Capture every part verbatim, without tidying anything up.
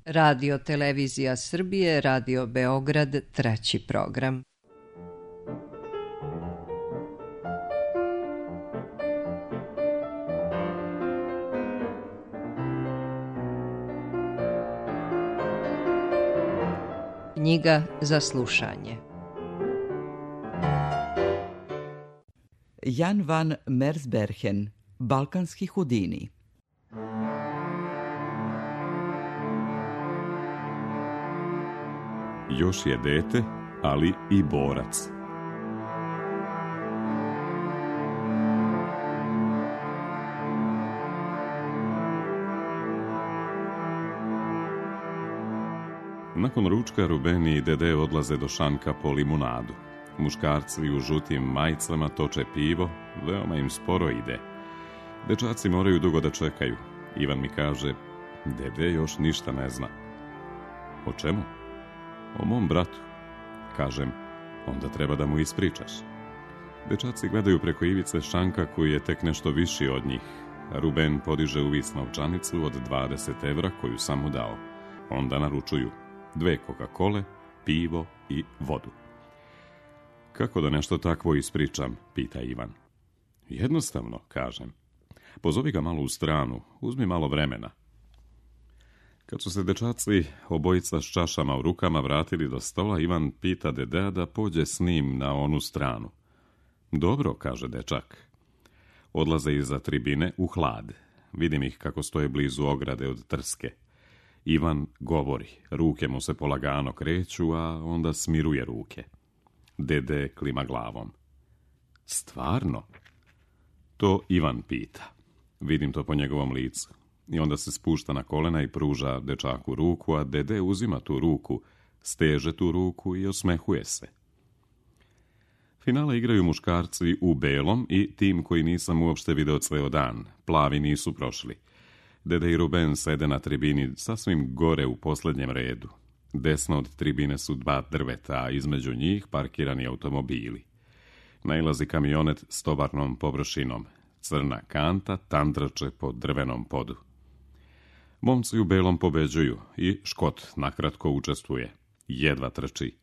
Radio Televizija Srbije, Radio Beograd, treći program. Knjiga za slušanje. Jan van Mersbergen, Balkanski Houdini. Još je dete, ali i borac. Nakon ručka Ruben i Dede odlaze do šanka po limunadu. Muškarci u žutim majicama toče pivo, veoma im sporo ide. Dečaci moraju dugo da čekaju. Ivan mi kaže, Dede još ništa ne zna. O čemu? O mom bratu. Kažem, onda treba da mu ispričaš. Dečaci gledaju preko ivice šanka koji je tek nešto viši od njih. Ruben podiže u vis novčanicu od dvadeset evra koju sam mu dao. Onda naručuju dve Coca-Cole, pivo i vodu. Kako da nešto takvo ispričam, pita Ivan. Jednostavno, kažem. Pozovi ga malo u stranu, uzmi malo vremena. Kad su se dečaci obojica s čašama u rukama vratili do stola, Ivan pita Dedea da pođe s njim na onu stranu. Dobro, kaže dečak. Odlaze iza tribine u hlad. Vidim ih kako stoje blizu ograde od trske. Ivan govori, ruke mu se polagano kreću, a onda smiruje ruke. Dede klima glavom. Stvarno? To Ivan pita. Vidim to po njegovom licu. I onda se spušta na kolena i pruža dečaku ruku, a Dede uzima tu ruku, steže tu ruku i osmehuje se. Finale igraju muškarci u belom i tim koji nisam uopšte video ceo dan. Plavi nisu prošli. Dede i Ruben sede na tribini sasvim gore u posljednjem redu. Desno od tribine su dva drveta, a između njih parkirani automobili. Nailazi kamionet s tovarnom površinom. Crna kanta tandrače po drvenom podu. Momci u belom pobeđuju i Škot nakratko učestvuje. Jedva trči.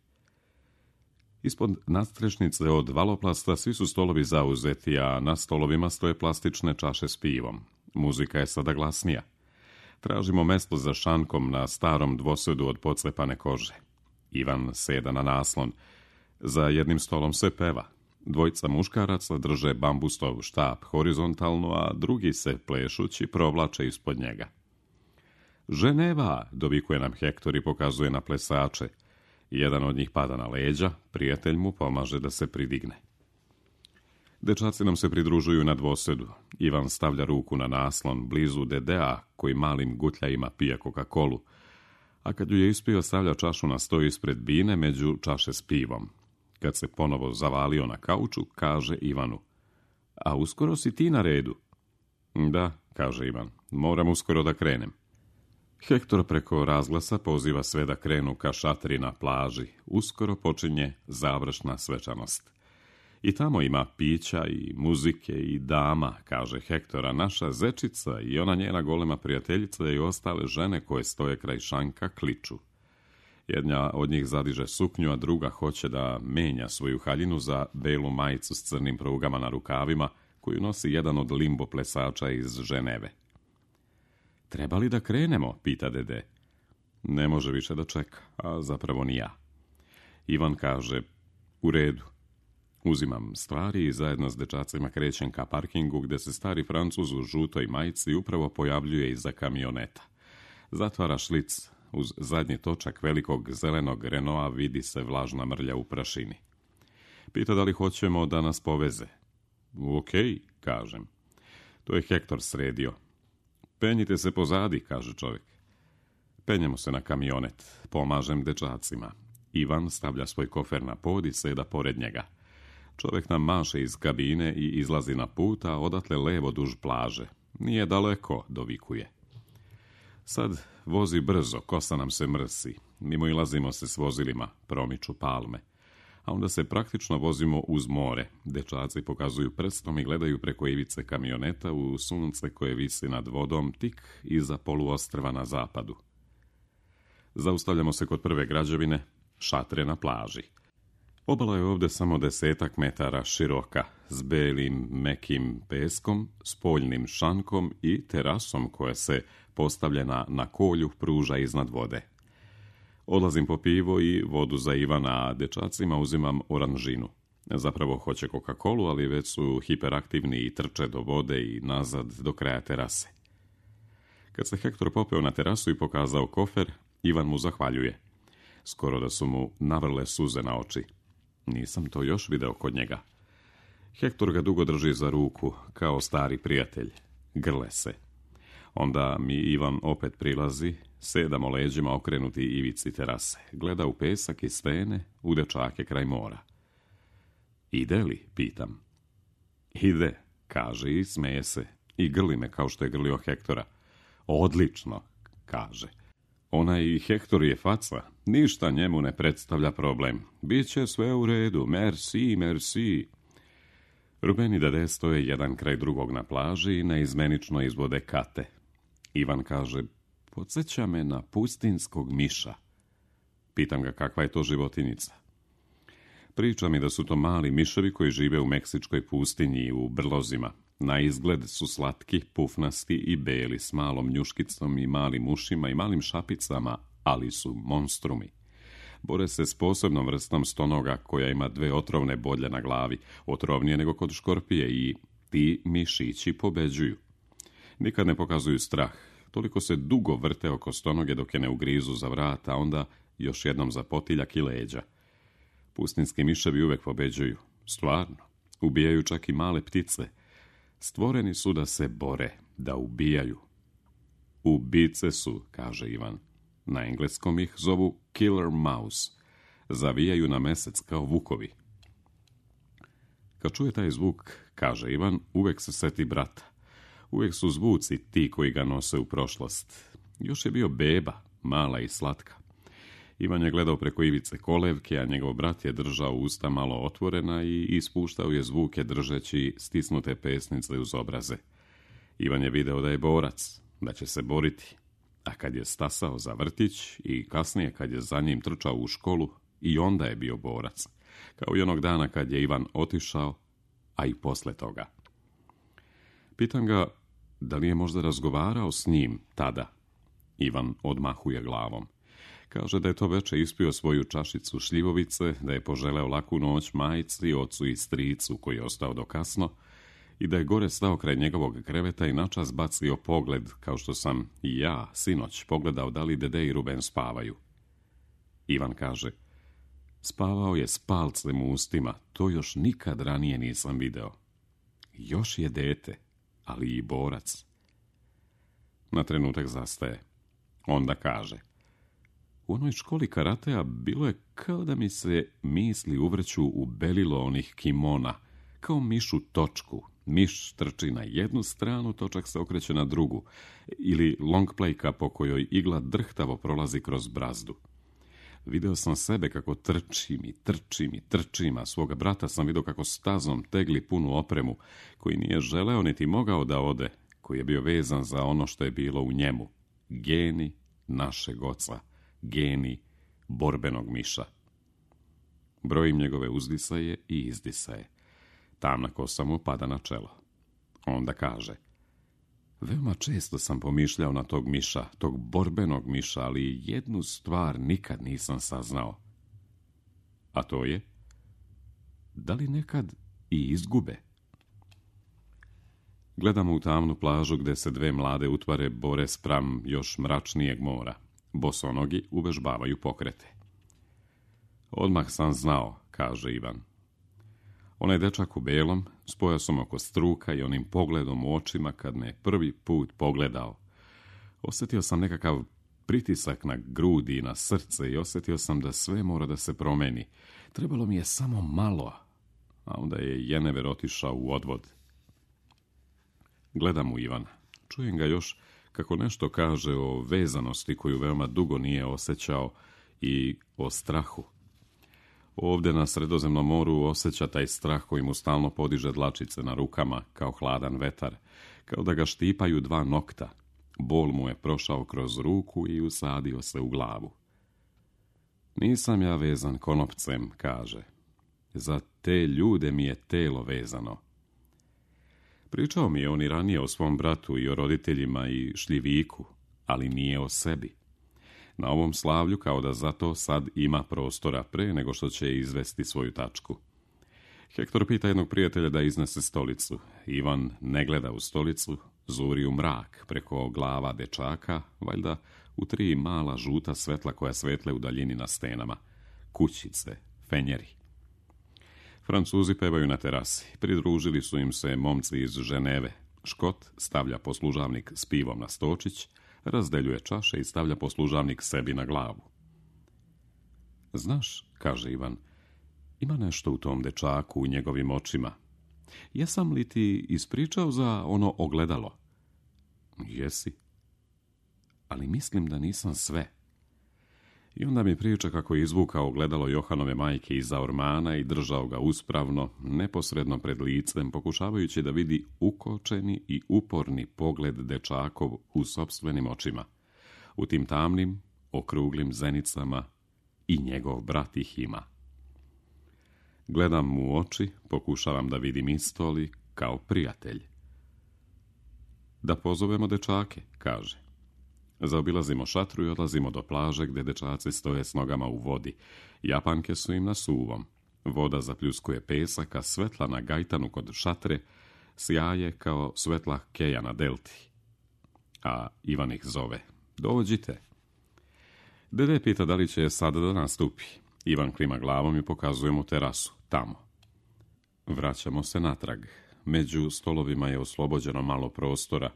Ispod nadstrešnice od valoplasta svi su stolovi zauzeti, a na stolovima stoje plastične čaše s pivom. Muzika je sada glasnija. Tražimo mesto za šankom na starom dvosedu od pocepane kože. Ivan seda na naslon. Za jednim stolom se peva. Dvojica muškaraca drže bambustov štap horizontalno, a drugi se plešući provlače ispod njega. Ženeva, dovikuje nam Hektor i pokazuje na plesače. Jedan od njih pada na leđa, prijatelj mu pomaže da se pridigne. Dečaci nam se pridružuju na dvosedu. Ivan stavlja ruku na naslon blizu Dedea, koji malim gutljajima pije Coca-Colu, a kad ju je ispio stavlja čašu na sto ispred bine među čaše s pivom. Kad se ponovo zavalio na kauču, kaže Ivanu, a uskoro si ti na redu? Da, kaže Ivan, moram uskoro da krenem. Hektor preko razglasa poziva sve da krenu ka šatri na plaži. Uskoro počinje završna svečanost. I tamo ima pića i muzike i dama, kaže Hektora, naša zečica i ona njena golema prijateljica i ostale žene koje stoje kraj šanka kliču. Jedna od njih zadiže suknju, a druga hoće da menja svoju haljinu za belu majicu s crnim prugama na rukavima, koju nosi jedan od limbo plesača iz Ženeve. Treba li da krenemo, pita Dede. Ne može više da čeka, a zapravo ni ja. Ivan kaže, u redu. Uzimam stvari i zajedno s dečacima krećem ka parkingu gde se stari Francuz u žutoj majici upravo pojavljuje iza kamioneta. Zatvara šlic. Uz zadnji točak velikog zelenog Renaulta vidi se vlažna mrlja u prašini. Pita da li hoćemo da nas poveze. Okej, kažem. To je Hektor sredio. Penjite se pozadi, kaže čovjek. Penjemo se na kamionet. Pomažem dečacima. Ivan stavlja svoj kofer na pod i seda pored njega. Čovjek nam maše iz kabine i izlazi na put, a odatle levo duž plaže. Nije daleko, dovikuje. Sad vozi brzo, kosa nam se mrsi. Mimo ilazimo se s vozilima, promiču palme. A onda se praktično vozimo uz more. Dečaci pokazuju prstom i gledaju preko ivice kamioneta u sunce koje visi nad vodom tik iza poluostrva na zapadu. Zaustavljamo se kod prve građevine, šatre na plaži. Obala je ovdje samo desetak metara široka, s belim, mekim peskom, spoljnim šankom i terasom koja se, postavljena na kolju, pruža iznad vode. Odlazim po pivo i vodu za Ivana, a dečacima uzimam oranžinu. Zapravo hoće Coca-Colu, ali već su hiperaktivni i trče do vode i nazad do kraja terase. Kad se Hektor popeo na terasu i pokazao kofer, Ivan mu zahvaljuje. Skoro da su mu navrle suze na oči. Nisam to još video kod njega. Hektor ga dugo drži za ruku, kao stari prijatelj. Grle se. Onda mi Ivan opet prilazi, sedamo leđima okrenuti ivici terase. Gleda u pesak i stene, u dečake kraj mora. Ide li? Pitam. Ide, kaže i smeje se. I grli me kao što je grlio Hektora. Odlično, kaže. Onaj Hektor je faca, ništa njemu ne predstavlja problem. Biće sve u redu, merci, merci. Ruben i Dede stoje jedan kraj drugog na plaži i neizmenično izvode kate. Ivan kaže, podsjeća me na pustinskog miša. Pitam ga kakva je to životinjica. Priča mi da su to mali miševi koji žive u meksičkoj pustinji i u brlozima. Na izgled su slatki, pufnasti i beli, s malom njuškicom i malim ušima i malim šapicama, ali su monstrumi. Bore se s posebnom vrstom stonoga koja ima dve otrovne bodlje na glavi, otrovnije nego kod škorpije, i ti mišići pobeđuju. Nikad ne pokazuju strah, toliko se dugo vrte oko stonoge dok je ne ugrizu za vrat, a onda još jednom za potiljak i leđa. Pustinski miševi uvek pobeđuju, stvarno, ubijaju čak i male ptice. Stvoreni su da se bore, da ubijaju. Ubice su, kaže Ivan. Na engleskom ih zovu killer mouse. Zavijaju na mesec kao vukovi. Kad čuje taj zvuk, kaže Ivan, uvek se seti brata. Uvek su zvuci ti koji ga nose u prošlost. Još je bio beba, mala i slatka. Ivan je gledao preko ivice kolevke, a njegov brat je držao usta malo otvorena i ispuštao je zvuke držeći stisnute pesnice uz obraze. Ivan je video da je borac, da će se boriti, a kad je stasao za vrtić i kasnije kad je za njim trčao u školu, i onda je bio borac, kao i onog dana kad je Ivan otišao, a i posle toga. Pitam ga da li je možda razgovarao s njim tada. Ivan odmahuje glavom. Kaže da je to veče ispio svoju čašicu šljivovice, da je poželeo laku noć majici, ocu i stricu koji je ostao do kasno i da je gore stao kraj njegovog kreveta i načas bacio pogled, kao što sam i ja sinoć pogledao da li Dede i Ruben spavaju. Ivan kaže, spavao je s palcem u ustima, to još nikad ranije nisam video. Još je dete, ali i borac. Na trenutak zastaje. Onda kaže, u onoj školi karatea bilo je kao da mi se misli uvrću u belilo onih kimona, kao miš u točku. Miš trči na jednu stranu, točak se okreće na drugu, ili long playka po kojoj igla drhtavo prolazi kroz brazdu. Video sam sebe kako trčim i trčim i trčim, a svoga brata sam vidio kako stazom tegli punu opremu, koji nije želeo niti mogao da ode, koji je bio vezan za ono što je bilo u njemu. Geni našeg oca. Geni borbenog miša. Brojim njegove uzdisaje i izdisaje. Tamna kosa mu pada na čelo. Onda kaže, veoma često sam pomišljao na tog miša, tog borbenog miša, ali jednu stvar nikad nisam saznao. A to je, da li nekad i izgube? Gledamo u tamnu plažu gde se dve mlade utvare bore spram još mračnijeg mora. Bosonogi uvežbavaju pokrete. Odmah sam znao, kaže Ivan. Onaj dečak u belom, s pojasom oko struka i onim pogledom u očima kad me prvi put pogledao. Osjetio sam nekakav pritisak na grudi i na srce i osjetio sam da sve mora da se promeni. Trebalo mi je samo malo, a onda je Jenever otišao u odvod. Gledam u Ivana. Čujem ga još kako nešto kaže o vezanosti koju veoma dugo nije osjećao i o strahu. Ovdje na Sredozemnom moru osjeća taj strah koji mu stalno podiže dlačice na rukama kao hladan vetar, kao da ga štipaju dva nokta. Bol mu je prošao kroz ruku i usadio se u glavu. Nisam ja vezan konopcem, kaže. Za te ljude mi je telo vezano. Pričao mi je on i ranije o svom bratu i o roditeljima i šljiviku, ali nije o sebi. Na ovom slavlju kao da zato sad ima prostora pre nego što će izvesti svoju tačku. Hektor pita jednog prijatelja da iznese stolicu. Ivan ne gleda u stolicu, zuri u mrak preko glava dečaka, valjda u tri mala žuta svetla koja svetle u daljini na stenama. Kućice, fenjeri. Francuzi pevaju na terasi. Pridružili su im se momci iz Ženeve. Škot stavlja poslužavnik s pivom na stočić, razdeljuje čaše i stavlja poslužavnik sebi na glavu. Znaš, kaže Ivan, ima nešto u tom dečaku, u njegovim očima. Jesam li ti ispričao za ono ogledalo? Jesi. Ali mislim da nisam sve. I onda mi priča kako je izvukao ogledalo Johanove majke iza ormana i držao ga uspravno, neposredno pred licem, pokušavajući da vidi ukočeni i uporni pogled dečakov u sopstvenim očima. U tim tamnim, okruglim zenicama i njegov brat ih ima. Gledam mu u oči, pokušavam da vidim isto li kao prijatelj. Da pozovemo dečake, kaže. Zaobilazimo šatru i odlazimo do plaže gdje dečaci stoje s nogama u vodi. Japanke su im na suvom. Voda zapljuskuje pesak, a svetla na gajtanu kod šatre sjaje kao svetla keja na delti. A Ivan ih zove. Dođite. Dede pita da li će sada da nastupi. Ivan klima glavom i pokazuje mu terasu. Tamo. Vraćamo se natrag. Među stolovima je oslobođeno malo prostora.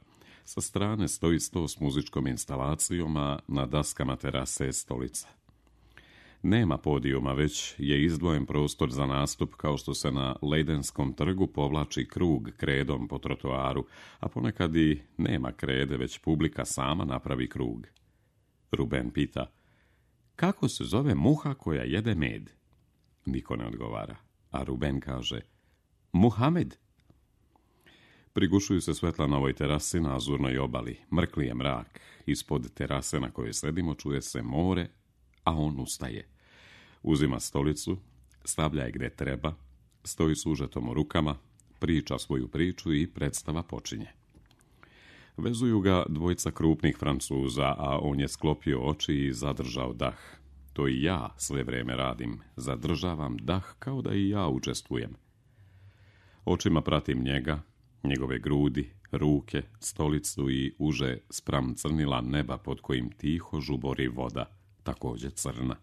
Sa strane stoji sto s muzičkom instalacijom, a na daskama terase je stolica. Nema podijuma, već je izdvojen prostor za nastup kao što se na Lejdenskom trgu povlači krug kredom po trotoaru, a ponekad i nema krede, već publika sama napravi krug. Ruben pita, kako se zove muha koja jede med? Niko ne odgovara, a Ruben kaže, Muhamed. Prigušuju se svetla na ovoj terasi na azurnoj obali. Mrkli je mrak. Ispod terase na kojoj sedimo čuje se more, a on ustaje. Uzima stolicu, stavlja je gdje treba, stoji s užetom u rukama, priča svoju priču i predstava počinje. Vezuju ga dvojica krupnih Francuza, a on je sklopio oči i zadržao dah. To i ja sve vrijeme radim. Zadržavam dah kao da i ja učestvujem. Očima pratim njega, njegove grudi, ruke, stolicu i uže spram crnila neba pod kojim tiho žubori voda, također crna.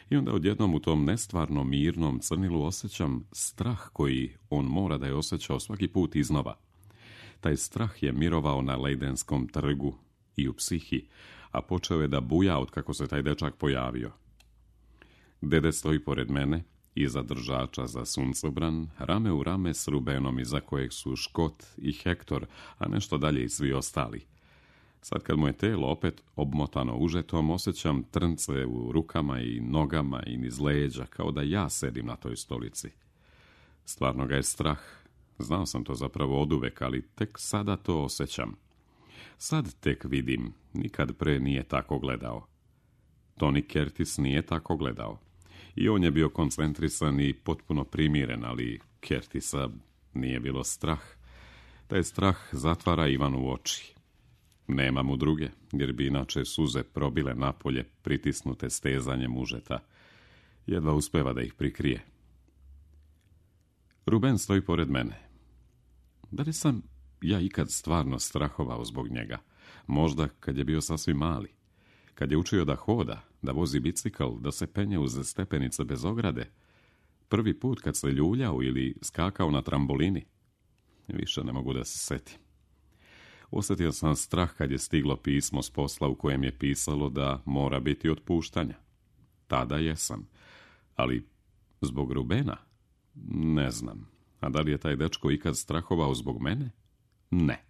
I onda odjednom u tom nestvarno mirnom crnilu osjećam strah koji on mora da je osjećao svaki put iznova. Taj strah je mirovao na Lejdenskom trgu i u psihi, a počeo je da buja od kako se taj dečak pojavio. Dede stoji pored mene, iza držača za suncobran, rame u rame s Rubenom iza kojeg su Škot i Hektor, a nešto dalje i svi ostali. Sad kad mu je telo opet obmotano užetom, osjećam trnce u rukama i nogama i niz leđa, kao da ja sedim na toj stolici. Stvarno ga je strah. Znao sam to zapravo oduvek, ali tek sada to osjećam. Sad tek vidim, nikad pre nije tako gledao. Tony Curtis nije tako gledao. I on je bio koncentrisan i potpuno primiren, ali Curtisa nije bilo strah. Taj strah zatvara Ivanu u oči. Nema mu druge, jer bi inače suze probile napolje, pritisnute stezanjem užeta. Jedva uspeva da ih prikrije. Ruben stoji pored mene. Da li sam ja ikad stvarno strahovao zbog njega? Možda kad je bio sasvim mali. Kad je učio da hoda, da vozi bicikl, da se penje uz stepenice bez ograde. Prvi put kad se ljuljao ili skakao na trambolini. Više ne mogu da se setim. Osjetio sam strah kad je stiglo pismo s posla u kojem je pisalo da mora biti otpuštanja. Tada jesam. Ali zbog Rubena? Ne znam. A da li je taj dečko ikad strahovao zbog mene? Ne.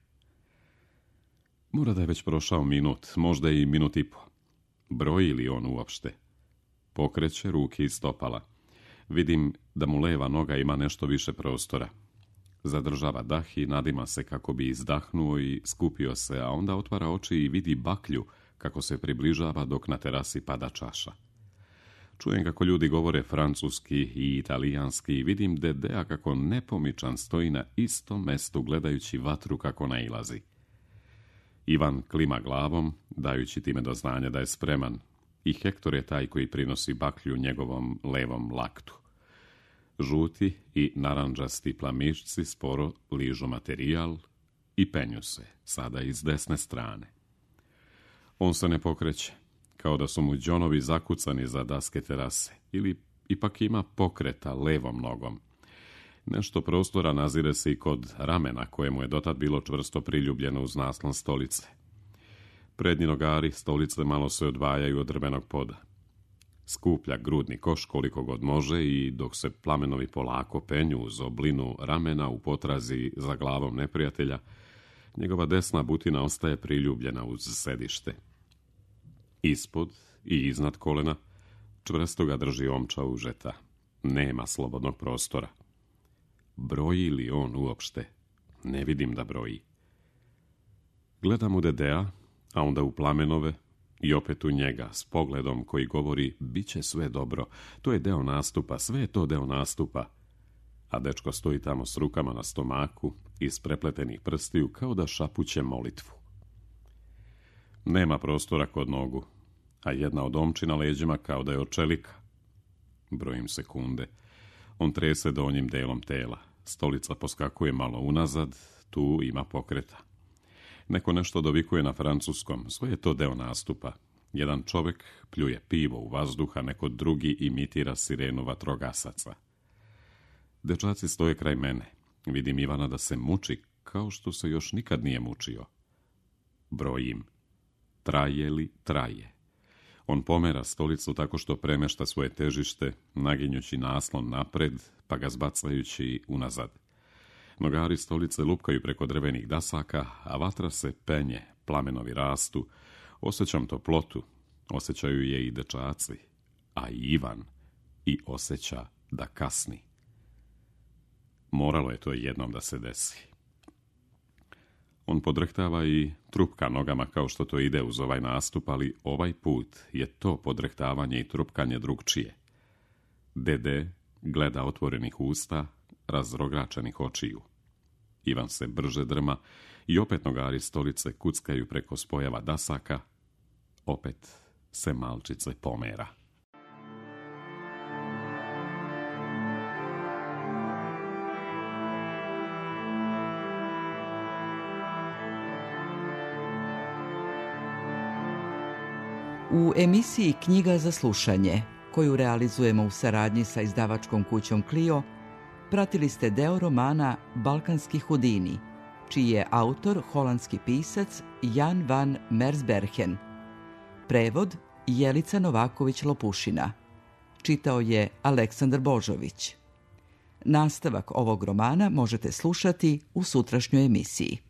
Mora da je već prošao minut, možda i minut i po. Broji li on uopšte? Pokreće ruke i stopala. Vidim da mu leva noga ima nešto više prostora. Zadržava dah i nadima se kako bi izdahnuo i skupio se, a onda otvara oči i vidi baklju kako se približava dok na terasi pada čaša. Čujem kako ljudi govore francuski i italijanski i vidim Dedea kako nepomičan stoji na istom mestu gledajući vatru kako nailazi. Ivan klima glavom, dajući time do znanja da je spreman, i Hektor je taj koji prinosi baklju njegovom levom laktu. Žuti i naranđasti plamišci sporo ližu materijal i penju se, sada iz desne strane. On se ne pokreće, kao da su mu đonovi zakucani za daske terase, ili ipak ima pokreta levom nogom. Nešto prostora nazire se i kod ramena, kojemu je dotad bilo čvrsto priljubljeno uz naslon stolice. Prednji nogari stolice malo se odvajaju od drvenog poda. Skuplja grudni koš koliko god može i dok se plamenovi polako penju uz oblinu ramena u potrazi za glavom neprijatelja, njegova desna butina ostaje priljubljena uz sedište. Ispod i iznad kolena čvrsto ga drži omča užeta. Nema slobodnog prostora. Broji li on uopšte? Ne vidim da broji. Gledam u Dedea, a onda u plamenove i opet u njega s pogledom koji govori bit će sve dobro. To je deo nastupa, sve je to deo nastupa. A dečko stoji tamo s rukama na stomaku i s prepletenih prstiju kao da šapuće molitvu. Nema prostora kod nogu, a jedna od omči na leđima kao da je od čelika. Brojim sekunde. On trese donjim delom tela. Stolica poskakuje malo unazad, tu ima pokreta. Neko nešto dovikuje na francuskom, sve je to deo nastupa. Jedan čovjek pljuje pivo u vazduh, a neko drugi imitira sirenu vatrogasaca. Dečaci stoje kraj mene. Vidim Ivana da se muči, kao što se još nikad nije mučio. Brojim. Traje li traje? On pomera stolicu tako što premešta svoje težište, naginjući naslon napred, pa ga zbacajući unazad. Nogari stolice lupkaju preko drvenih dasaka, a vatra se penje, plamenovi rastu. Osjećam toplotu, osjećaju je i dečaci, a i Ivan, i osjeća da kasni. Moralo je to jednom da se desi. On podrhtava i trupka nogama kao što to ide uz ovaj nastup, ali ovaj put je to podrhtavanje i trupkanje drugčije. Dede gleda otvorenih usta, razrogračenih očiju. Ivan se brže drma i opet nogari stolice kuckaju preko spojeva dasaka, opet se malčice pomera. U emisiji Knjiga za slušanje, koju realizujemo u saradnji sa izdavačkom kućom Clio, pratili ste deo romana Balkanski Hudini, čiji je autor holandski pisac Jan van Mersbergen. Prevod Jelica Novaković-Lopušina. Čitao je Aleksandar Božović. Nastavak ovog romana možete slušati u sutrašnjoj emisiji.